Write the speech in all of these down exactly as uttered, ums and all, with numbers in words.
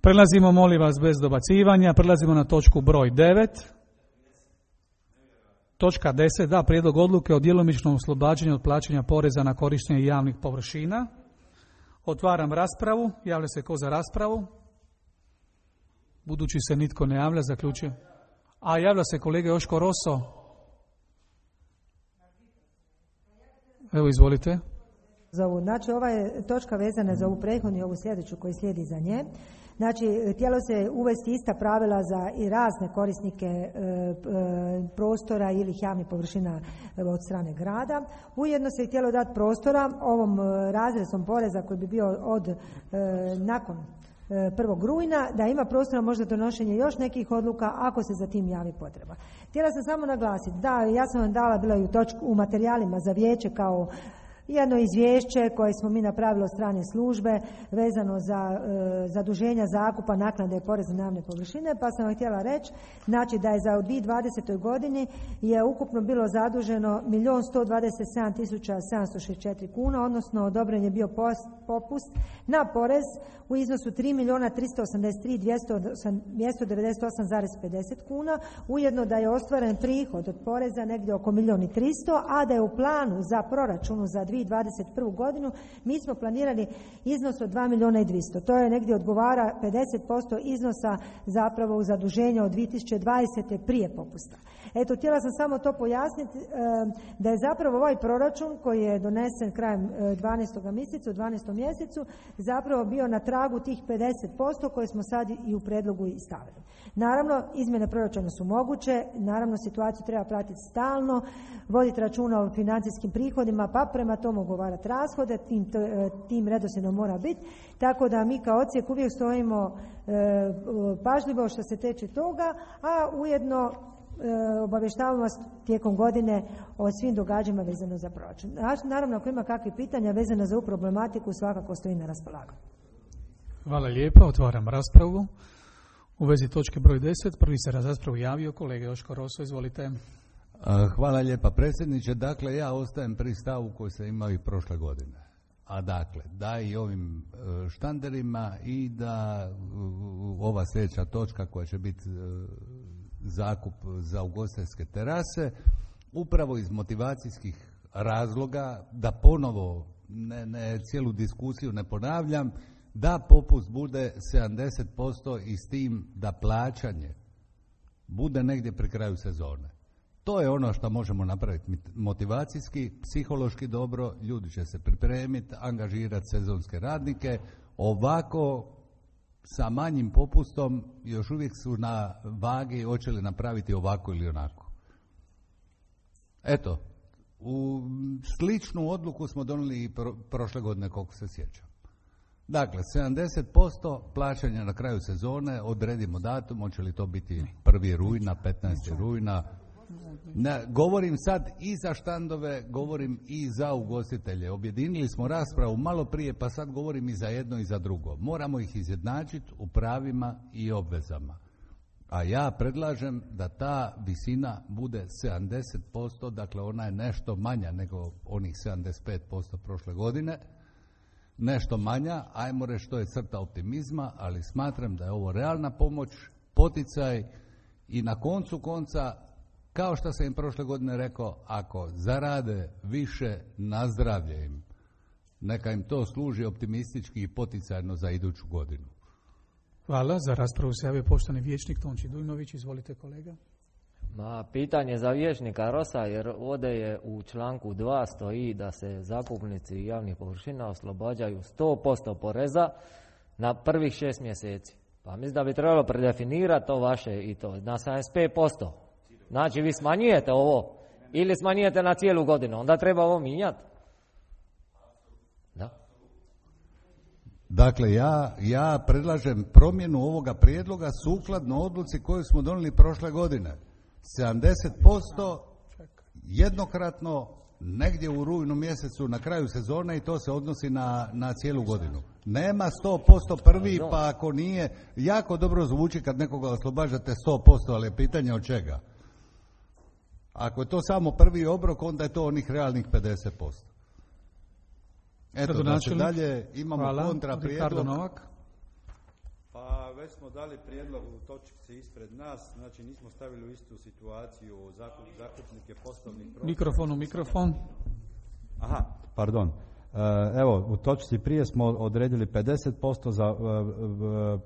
Prelazimo, molim vas, bez dobacivanja, prelazimo na točku broj devet. Točka deset, da, prijedlog odluke o djelomičnom oslobađanju od plaćanja poreza na korištenje javnih površina. Otvaram raspravu. Javlja se ko za raspravu? Budući se nitko ne javlja, zaključujem. A, javlja se kolega Joško Roso. Evo, izvolite. Znači, ova je točka vezana za ovu prethodnu i ovu sljedeću koji slijedi za nje. Znači, htjelo se uvesti ista pravila za i razne korisnike e, e, prostora ili javnih površina od strane grada. Ujedno se htjelo dati prostora ovom razresom poreza koji bi bio od e, nakon prvog rujna, da ima prostora možda donošenje još nekih odluka ako se za tim javi potreba. Htjela sam samo naglasiti da ja sam vam dala bila i u, točku, u materijalima za vijeće kao jedno izvješće koje smo mi napravili od strane službe vezano za e, zaduženja zakupa, naknade i poreza na javne površine, pa sam vam htjela reći znači da je za u dvije tisuće dvadesete. godini je ukupno bilo zaduženo milijun sto dvadeset sedam tisuća sedamsto šezdeset četiri kuna, odnosno odobren je bio post, popust na porez u iznosu tri milijuna tristo osamdeset tri tisuće dvjesto devedeset osam zarez pedeset kuna, ujedno da je ostvaren prihod od poreza negdje oko milijun i tristo, a da je u planu za proračunu za dvije tisuće dvadeset prvu. godinu mi smo planirali iznos od dva milijuna i dvjesto. To je negdje odgovara pedeset posto iznosa zapravo u zaduženja od dvije tisuće dvadesete. prije popusta. Eto, htjela sam samo to pojasniti da je zapravo ovaj proračun koji je donesen krajem dvanaestog mjeseca, u dvanaestom mjesecu, zapravo bio na tragu tih pedeset posto koje smo sad i u predlogu i stavili. Naravno, izmjene proračuna su moguće, naravno situaciju treba pratiti stalno, voditi računa o financijskim prihodima, pa prema tomu ugovarati rashode, tim, tim redoslijedom mora biti, tako da mi kao odsjek uvijek stojimo e, pažljivo što se tiče toga, a ujedno e, obavještavamo vas tijekom godine o svim događajima vezano za proračun. Naravno, ako ima kakvih pitanja vezano za ovu problematiku, svakako stoji na raspolaganju. Hvala lijepa, otvaram raspravu. U vezi točke broj deset, prvi se za raspravu javio kolega Joško Roso, izvolite. Hvala lijepa predsjedniče. Dakle, ja ostajem pri stavu koji sam imao i prošle godine. A dakle, da i ovim štanderima i da ova sljedeća točka koja će biti zakup za ugostiteljske terase, upravo iz motivacijskih razloga, da ponovo ne, ne cijelu diskusiju ne ponavljam, da popust bude sedamdeset posto i s tim da plaćanje bude negdje pri kraju sezone. To je ono što možemo napraviti motivacijski, psihološki dobro, ljudi će se pripremiti, angažirati sezonske radnike, ovako sa manjim popustom još uvijek su na vagi hoće li napraviti ovako ili onako. Eto, u sličnu odluku smo donijeli i pro, prošle godine koliko se sjećam. Dakle, sedamdeset posto plaćanja na kraju sezone, odredimo datum, hoće li to biti prvi rujna, petnaesti rujna. Ne, govorim sad i za štandove, govorim i za ugostitelje. Objedinili smo raspravu malo prije, pa sad govorim i za jedno i za drugo. Moramo ih izjednačiti u pravima i obvezama. A ja predlažem da ta visina bude sedamdeset posto, dakle ona je nešto manja nego onih sedamdeset pet posto prošle godine. Nešto manja, ajmo reći što je crta optimizma, ali smatram da je ovo realna pomoć, poticaj i na koncu konca, kao što sam im prošle godine rekao, ako zarade više, nazdravlje im. Neka im to služi optimistički i poticajno za iduću godinu. Hvala. Za raspravu se javio poštovani vijećnik Tonči Dujnović. Izvolite kolega. Ma, pitanje za vijećnika Rosa, jer ovdje je u članku dva stoji da se zakupnici javnih površina oslobađaju sto posto poreza na prvih šest mjeseci. Pa mislim da bi trebalo predefinirati to vaše i to na sedamdeset pet posto. Znači vi smanjujete ovo ili smanjujete na cijelu godinu, onda treba ovo mijenjati. Da. Dakle, ja, ja predlažem promjenu ovoga prijedloga sukladno odluci koju smo donijeli prošle godine. sedamdeset posto jednokratno negdje u rujnu mjesecu na kraju sezone i to se odnosi na, na cijelu godinu. Nema sto posto prvi, pa ako nije, jako dobro zvuči kad nekoga oslobađate sto posto, ali je pitanje od čega. Ako je to samo prvi obrok, onda je to onih realnih pedeset posto. Eto, znači dalje imamo kontra prijedlog. Novak. Pa već već smo dali prijedlog u točci ispred nas, znači nismo stavili u istu situaciju zakup, zakupnike poslovnih prostora. Mikrofon u mikrofon. Aha, pardon. Evo, u točci prije smo odredili pedeset posto za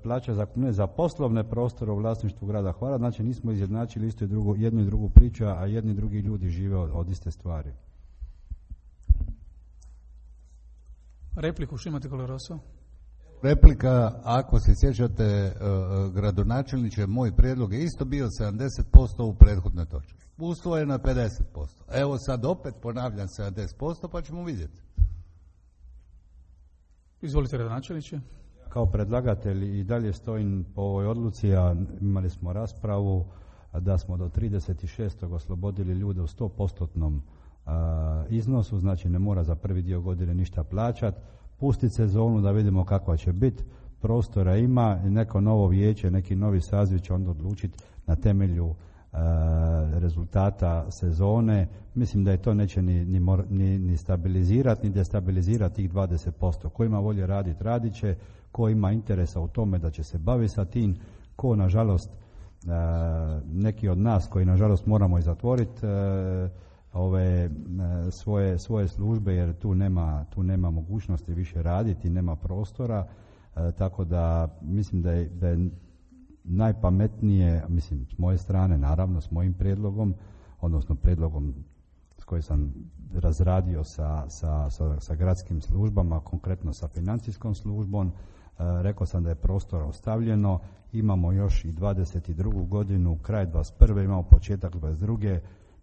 plaće zakupnine za poslovne prostore u vlasništvu grada Hvara, znači nismo izjednačili isto i drugo, jednu i drugu priču, a jedni i drugi ljudi žive od, od iste stvari. Repliku što imate, kolega Roso? Replika, ako se sjećate, gradonačelniče, moj prijedlog je isto bio sedamdeset posto u prethodnoj točki. Usvojeno je pedeset posto. Evo sad opet ponavljam sedamdeset posto pa ćemo vidjeti. Izvolite, gradonačelniče. Kao predlagatelj i dalje stojim po ovoj odluci, a imali smo raspravu da smo do trideset šestog oslobodili ljude u sto postotnom iznosu, znači ne mora za prvi dio godine ništa plaćati. Pustiti sezonu da vidimo kakva će biti, prostora ima, neko novo vijeće, neki novi saziv će onda odlučiti na temelju e, rezultata sezone. Mislim da je to neće ni, ni, ni, ni stabilizirati, ni destabilizirati tih dvadeset posto. Ko ima volje raditi, radit će, ko ima interesa u tome da će se baviti sa tim, ko nažalost, e, neki od nas koji nažalost moramo i zatvoriti, e, ove svoje, svoje službe jer tu nema, tu nema mogućnosti više raditi, nema prostora, e, tako da mislim da je, da je najpametnije, mislim s moje strane naravno s mojim prijedlogom, odnosno prijedlogom s kojim sam razradio sa, sa, sa, sa gradskim službama, konkretno sa financijskom službom, e, rekao sam da je prostora ostavljeno, imamo još i dvadeset drugu godinu, kraj dvadeset prve imamo početak dvadeset druge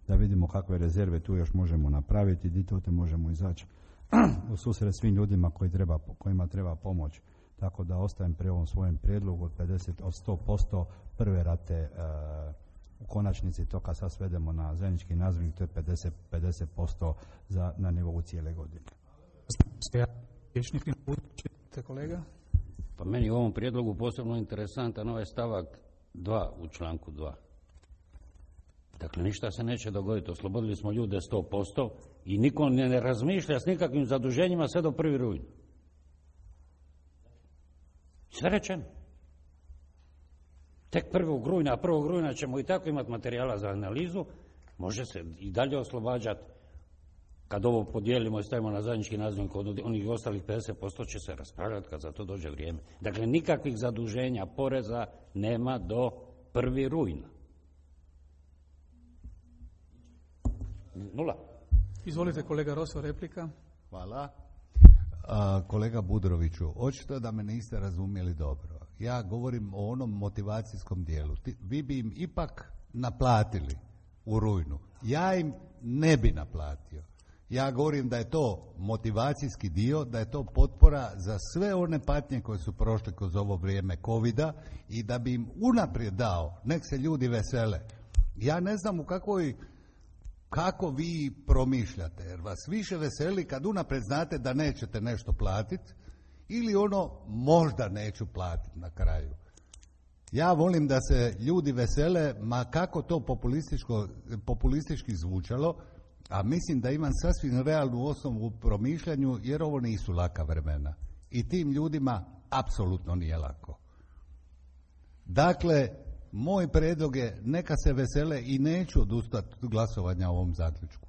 da vidimo kakve rezerve tu još možemo napraviti i di to te možemo izaći u susret svim ljudima koji treba, kojima treba pomoć. Tako da ostajem pri ovom svojem prijedlogu od, pedeset, od sto posto prve rate e, u konačnici to kad sad svedemo na zajednički nazivnik, to je pedeset, pedeset posto za, na nivou cijele godine. Kolega? Pa meni u ovom prijedlogu posebno interesantan ovaj stavak dva u članku dva. Dakle, ništa se neće dogoditi. Oslobodili smo ljude sto posto i niko ne, ne razmišlja s nikakvim zaduženjima sve do prvi rujna. Sve rečeno. Tek prvog rujna, prvog rujna ćemo i tako imati materijala za analizu. Može se i dalje oslobađati. Kad ovo podijelimo i stavimo na zajednički nazivnik od onih ostalih pedeset posto će se raspravljati kad za to dođe vrijeme. Dakle, nikakvih zaduženja poreza nema do prvi rujna. Nula. Izvolite, kolega Roso, replika. Hvala. A, kolega Budroviću, očito da me niste razumjeli dobro. Ja govorim o onom motivacijskom dijelu. Ti, vi bi im ipak naplatili u rujnu. Ja im ne bi naplatio. Ja govorim da je to motivacijski dio, da je to potpora za sve one patnje koje su prošle kroz ovo vrijeme covida i da bi im unaprijed dao, nek se ljudi vesele. Ja ne znam u kakvoj kako vi promišljate, jer vas više veseli kad unaprijed znate da nećete nešto platiti ili ono možda neću platiti na kraju. Ja volim da se ljudi vesele, ma kako to populistički zvučalo, a mislim da imam sasvim realnu osnovu u promišljanju, jer ovo nisu laka vremena. I tim ljudima apsolutno nije lako. Dakle, moj prijedlog je neka se vesele i neću odustati od glasovanja o ovom zaključku.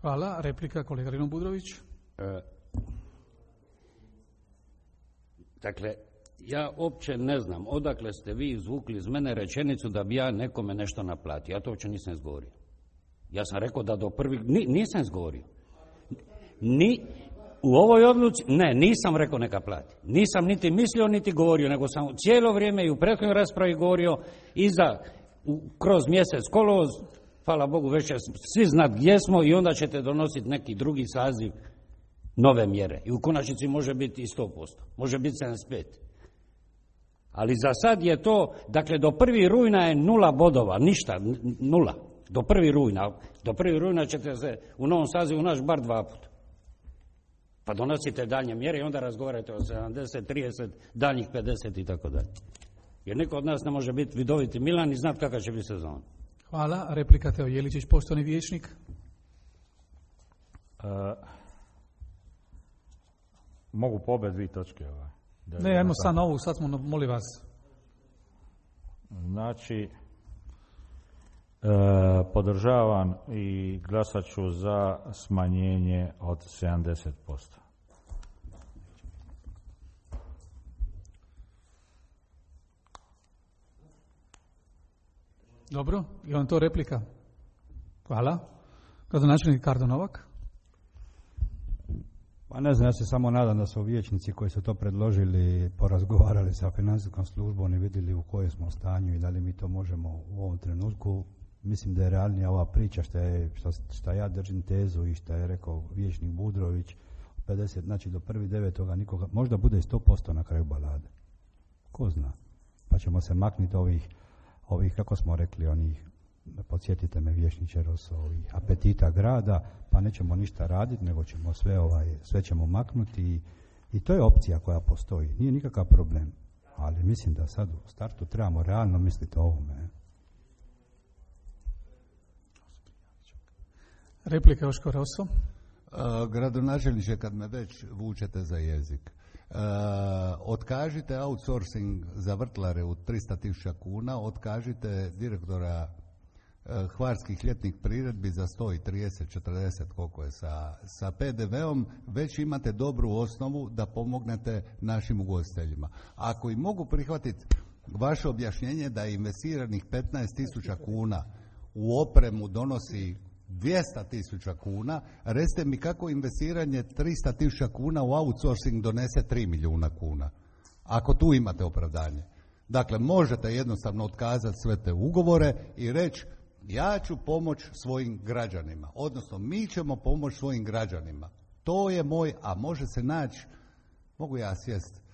Hvala. Replika, kolega Rino Budrović. E, dakle, ja uopće ne znam odakle ste vi izvukli iz mene rečenicu da bi ja nekome nešto naplatio. Ja to uopće nisam izgovorio. Ja sam rekao da do prvih... Ni, nisam izgovorio. Ni... U ovoj odluci, ne, nisam rekao neka plati. Nisam niti mislio, niti govorio, nego sam cijelo vrijeme i u prethodnoj raspravi govorio i za, u, kroz mjesec kolovoz, hvala Bogu, već će svi znat gdje smo i onda ćete donositi neki drugi saziv nove mjere. I u konačnici može biti i sto posto, može biti sedamdeset pet. Ali za sad je to, dakle do prvi rujna je nula bodova, ništa, nula. Do prvi rujna. Do prvi rujna ćete se u novom sazivu naći bar dva puta. Pa donosite daljnje mjere i onda razgovarate o sedamdeset, trideset, daljnjih pedeset i tako dalje. Jer niko od nas ne može biti vidoviti Milan i znati kakva će biti sezona. Hvala. Replika Teo Jeličić, poštovani vijećnik. Uh, mogu po obe dvije točke. Ovaj. Ne, ajmo sad novu, sad smo, molim vas. Znači, e, podržavam i glasat ću za smanjenje od sedamdeset posto. Dobro, je vam to replika? Hvala. Gradonačelnik Kardo Novak. Pa ne znam, ja se samo nadam da su vijećnici koji su to predložili porazgovarali sa financijskom službom i vidjeli u kojem smo stanju i da li mi to možemo u ovom trenutku. Mislim da je realnija ova priča što, je, što, što ja držim tezu i što je rekao vijećnik Budrović, pedeset, znači do prvog devetog nikoga, možda bude sto posto na kraju balade. Ko zna? Pa ćemo se maknuti ovih, ovih kako smo rekli, onih, podsjetite me vijećniče Roso, ovih apetita grada, pa nećemo ništa raditi, nego ćemo sve, ovaj, sve ćemo maknuti i, i to je opcija koja postoji. Nije nikakav problem, ali mislim da sad u startu trebamo realno misliti o ovome. Replika Joško Roso. Uh, gradonačelniče, kad me već vučete za jezik, uh, otkažite outsourcing za vrtlare u tristo tisuća kuna, otkažite direktora uh, hvarskih ljetnih priredbi za sto trideset četrdeset koliko je sa, sa pe de veom, već imate dobru osnovu da pomognete našim ugostiteljima. Ako i mogu prihvatiti vaše objašnjenje da je investiranih petnaest tisuća kuna u opremu donosi dvjesto tisuća kuna, recite mi kako investiranje tristo tisuća kuna u outsourcing donese tri milijuna kuna, ako tu imate opravdanje. Dakle, možete jednostavno otkazati sve te ugovore i reći ja ću pomoći svojim građanima, odnosno mi ćemo pomoći svojim građanima. To je moj, a može se naći, mogu ja sjest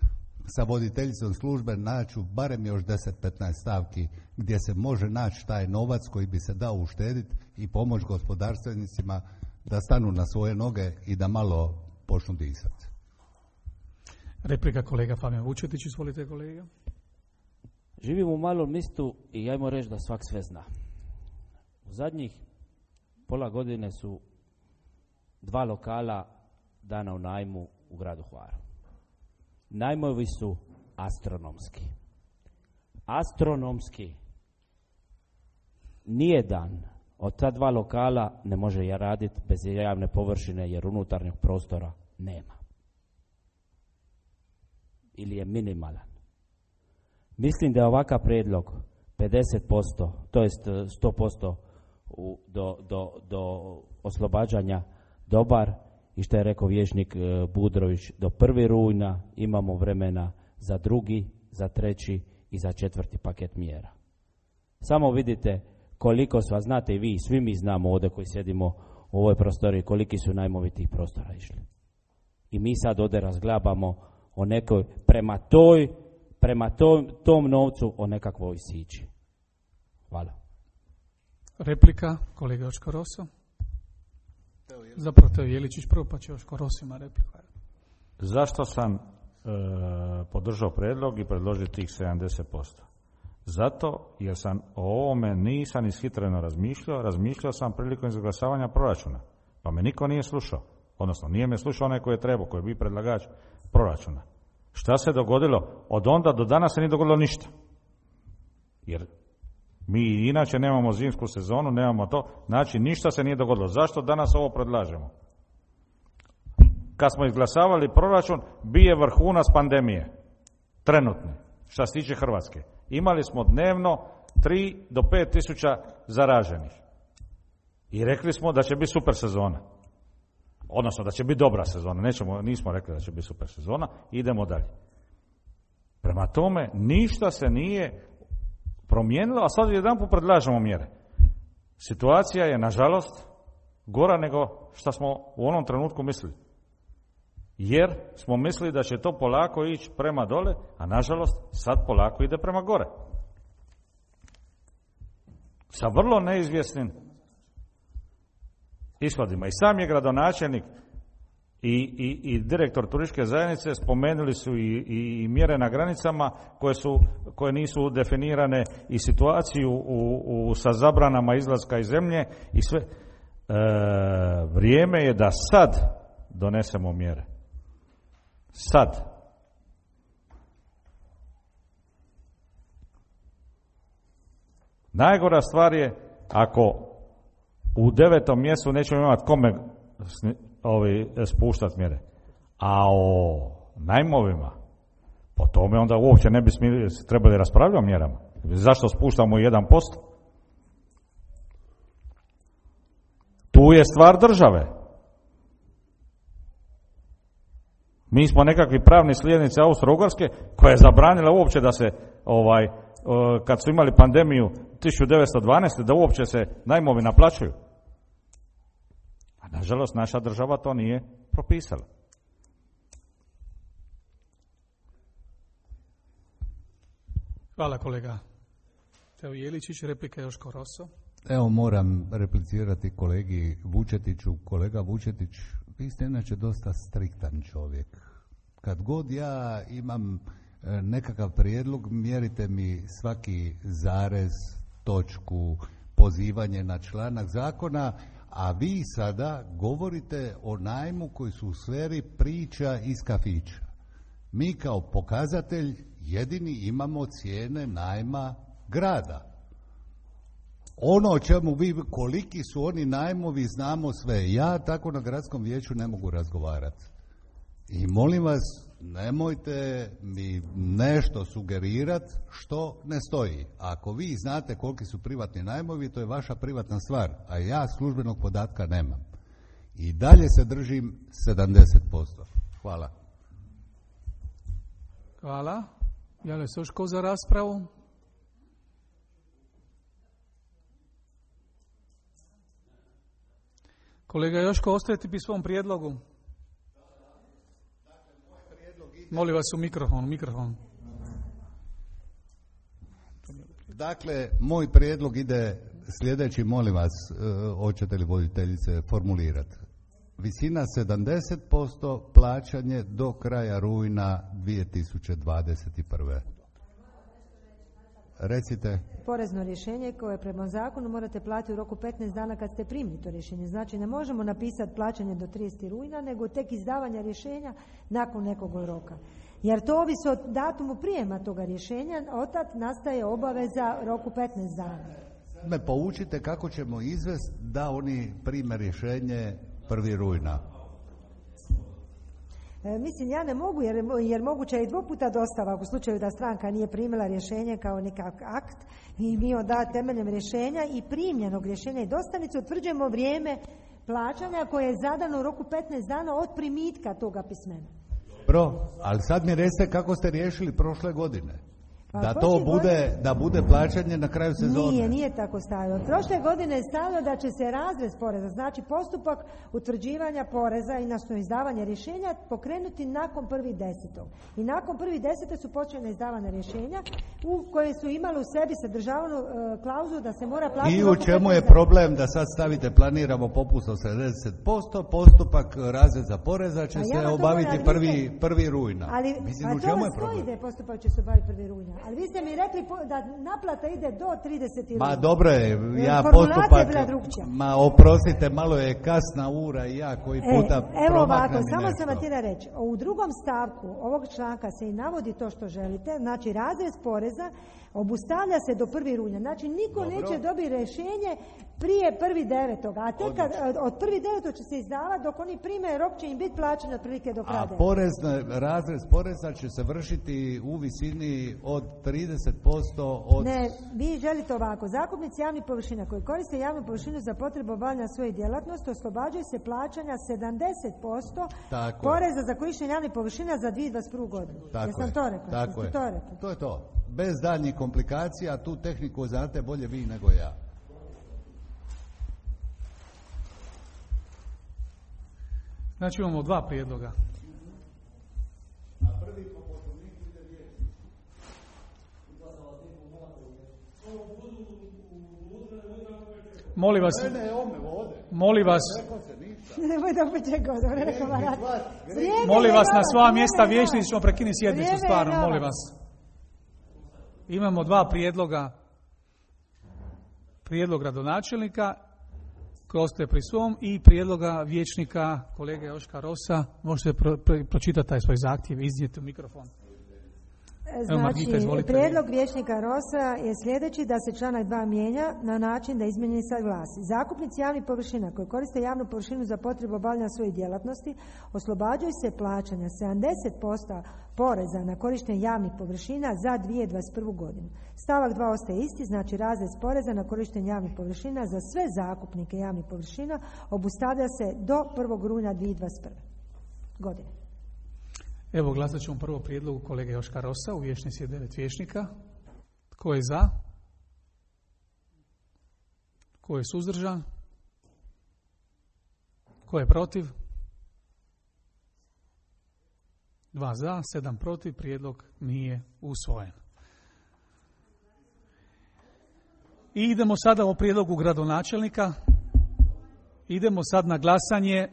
sa voditeljicom službe, naću barem još deset petnaest stavki gdje se može naći taj novac koji bi se dao uštediti i pomoći gospodarstvenicima da stanu na svoje noge i da malo počnu disati. Replika kolega Fabijan Vučetić, izvolite kolega. Živim u malom mistu i ajmo reći da svak sve zna. U zadnjih pola godine su dva lokala dana u najmu u gradu Hvaru. Najmovi su astronomski. Astronomski. Nijedan od ta dva lokala ne može ja raditi bez javne površine jer unutarnjeg prostora nema. Ili je minimalan. Mislim da je ovakav prijedlog pedeset posto, to jest sto posto u, do, do, do oslobađanja dobar i što je rekao vijećnik Budrović, do prvog rujna imamo vremena za drugi, za treći i za četvrti paket mjera. Samo vidite koliko su, a znate i vi, svi mi znamo ovdje koji sjedimo u ovoj prostoriji, koliki su najmovi tih prostora išli. I mi sad ovdje razglabamo o nekoj, prema toj, prema tom, tom novcu o nekakvoj sići. Hvala. Replika, kolega Joško Roso. Zapravo Teo Jeličić prvo, pa će Joško Roso ima repliku. Zašto sam e, podržao predlog i predložio tih sedamdeset posto? Zato jer sam o ovome nisam ishitreno razmišljao, razmišljao sam prilikom izglasavanja proračuna, pa me niko nije slušao, odnosno nije me slušao onaj koji je trebao, koji je bio predlagač proračuna. Šta se dogodilo? Od onda do danas se nije dogodilo ništa. Jer mi inače nemamo zimsku sezonu, nemamo to, znači ništa se nije dogodilo. Zašto danas ovo predlažemo? Kad smo izglasavali proračun, bije vrhunac pandemije, trenutni, šta se tiče Hrvatske. Imali smo dnevno tri do pet tisuća zaraženih. I rekli smo da će biti super sezona. Odnosno da će biti dobra sezona. Nećemo, nismo rekli da će biti super sezona. Idemo dalje. Prema tome, ništa se nije promijenilo, a sad jedanput predlažemo mjere. Situacija je, nažalost, gora nego što smo u onom trenutku mislili. Jer smo mislili da će to polako ići prema dole, a nažalost sad polako ide prema gore. Sa vrlo neizvjesnim ishodima. I sam je gradonačelnik i, i, i direktor turističke zajednice spomenuli su i, i, i mjere na granicama koje, su, koje nisu definirane i situaciju u, u, sa zabranama izlaska iz zemlje i sve. E, vrijeme je da sad donesemo mjere. Sad. Najgora stvar je ako u devetom mjesecu nećemo imati kome ovi, spuštati mjere. A o najmovima, po tome onda uopće ne bi smili, trebali raspravljati o mjerama. Zašto spuštamo jedan posto? Tu je stvar države. Mi smo nekakvi pravni slijednici Austro-Ugarske koja je zabranila uopće da se, ovaj, kad su imali pandemiju tisuću devetsto dvanaeste. da uopće se najmovi naplaćuju. A nažalost naša država to nije propisala. Hvala kolega Teo Jeličić, replika Joško Rosso. Evo moram replicirati kolegi Vučetiću. Kolega Vučetić, vi ste inače dosta striktan čovjek. Kad god ja imam nekakav prijedlog, mjerite mi svaki zarez, točku, pozivanje na članak zakona, a vi sada govorite o najmu koji su u sferi priča iz kafića. Mi kao pokazatelj jedini imamo cijene najma grada. Ono o čemu vi, koliki su oni najmovi, znamo sve. Ja tako na gradskom vijeću ne mogu razgovarati. I molim vas, nemojte mi nešto sugerirati što ne stoji. Ako vi znate koliki su privatni najmovi, to je vaša privatna stvar, a ja službenog podatka nemam. I dalje se držim sedamdeset posto. Hvala. Hvala. Javlja se još ko za raspravu? Kolega Joško, ostajete pri svom prijedlogu? Molim vas u mikrofon, mikrofon. Dakle, moj prijedlog ide sljedeći, molim vas, hoćete li voditeljice formulirati. Visina sedamdeset posto, plaćanje do kraja rujna dvije tisuće dvadeset prve. Recite. Porezno rješenje koje prema zakonu morate platiti u roku petnaest dana kad ste primili to rješenje. Znači ne možemo napisati plaćanje do tridesetog rujna, nego tek izdavanja rješenja nakon nekog roka. Jer to ovisi od datumu prijema toga rješenja, otad nastaje obaveza roku petnaest dana. Me poučite kako ćemo izvesti da oni prime rješenje prvog rujna. E, mislim, ja ne mogu, jer, jer moguće je i dvoputa dostava u slučaju da stranka nije primila rješenje kao nekakav akt i mi onda temeljem rješenja i primljenog rješenja i dostanice utvrđujemo vrijeme plaćanja koje je zadano u roku petnaest dana od primitka toga pismena. Bro, ali sad mi recite kako ste riješili prošle godine. Pa, da to bude, godine... da bude plaćanje na kraju sezone. Nije, nije tako stavio. Prošle godine je stavio da će se razrez poreza, znači postupak utvrđivanja poreza i nastavno izdavanje rješenja pokrenuti nakon prvog desetog. I nakon prvog desetog su počele izdavane rješenja u koje su imali u sebi sadržavanu e, klauzulu da se mora platiti. I u čemu je problem da sad stavite planiramo popust od sedamdeset posto, postupak razreza poreza će se obaviti prvi, prvi rujna. Ali, mislim, a u čemu to je vas problem? stoji da je postupak će se obaviti prvi rujna. Ali vi ste mi rekli da naplata ide do tridesetog Ma rujna. dobro je, ja postupak, ma oprostite, malo je kasna ura i ja koji puta e, Evo ovako, samo nešto. sam vam htjela reći, u drugom stavku ovog članka se i navodi to što želite, znači razrez poreza obustavlja se do prvog rujna, znači niko dobro. Neće dobiti rješenje prije prvog devetog, a tek kad, od prvog devetog će se izdavati dok oni prime rok će im biti plaćen otprilike do kraja. A porez, razrez poreza će se vršiti u visini od trideset posto od... Ne, vi želite ovako, zakupnici javnih površina koji koriste javnu površinu za potrebu obavljanja svoje djelatnosti oslobađaju se plaćanja sedamdeset posto tako poreza je. za korištenje javnih površina za dvije tisuće dvadeset prvu godinu. Tako Jesam je. to rekla? Tako je. To, rekla? To je to. Bez daljnjih komplikacija, tu tehniku znate bolje vi nego ja. Znači imamo dva prijedloga. A prvi po poslovniku ide vijećnik. Molim vas. Ne, ne, ome vode. Molim vas. Nemoj da opet čekao, da ne rekao varat. Molim vas na sva mjesta vijećnici ćemo prekinuti sjednicu, stvarno, molim vas. Imamo dva prijedloga. Prijedlog gradonačelnika koji ostaje pri svom i prijedloga vijećnika kolege Joška Rossa. Možete pro, pro, pročitati taj svoj zahtjev, iznijeti u mikrofon. Znači, izvolite. prijedlog vijećnika Rosa je sljedeći, da se članak dva mijenja na način da izmijenjeni sad glasi. Zakupnici javnih površina koji koriste javnu površinu za potrebu obavljanja svojih djelatnosti oslobađaju se plaćanja sedamdeset posto poreza na korištenje javnih površina za dvije tisuće dvadeset prvu godinu. Stavak dva ostaje isti, znači razrez poreza na korištenje javnih površina za sve zakupnike javnih površina obustavlja se do prvog rujna dvije tisuće dvadeset prve godine. Evo, glasat ćemo prvo prijedlogu kolege Joška Rosa, u vijećnici je devet vijećnika. Tko je za? Tko je suzdržan? Tko je protiv? Dva za, sedam protiv, prijedlog nije usvojen. I idemo sada o prijedlogu gradonačelnika. Idemo sad na glasanje.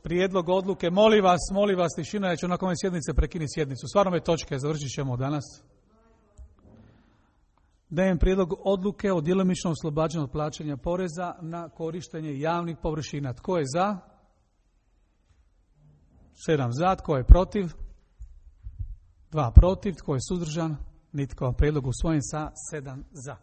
Prijedlog odluke, molim vas, molim vas, tišina, ja ću nakon ove sjednice prekinuti sjednicu. Stvarno me točke, završit ćemo danas. Dajem prijedlog odluke o djelomičnom oslobađanju od plaćanja poreza na korištenje javnih površina. Tko je za? Sedam za, tko je protiv? Dva protiv, tko je suzdržan? Nitko. Prijedlog usvojen sa sedam za.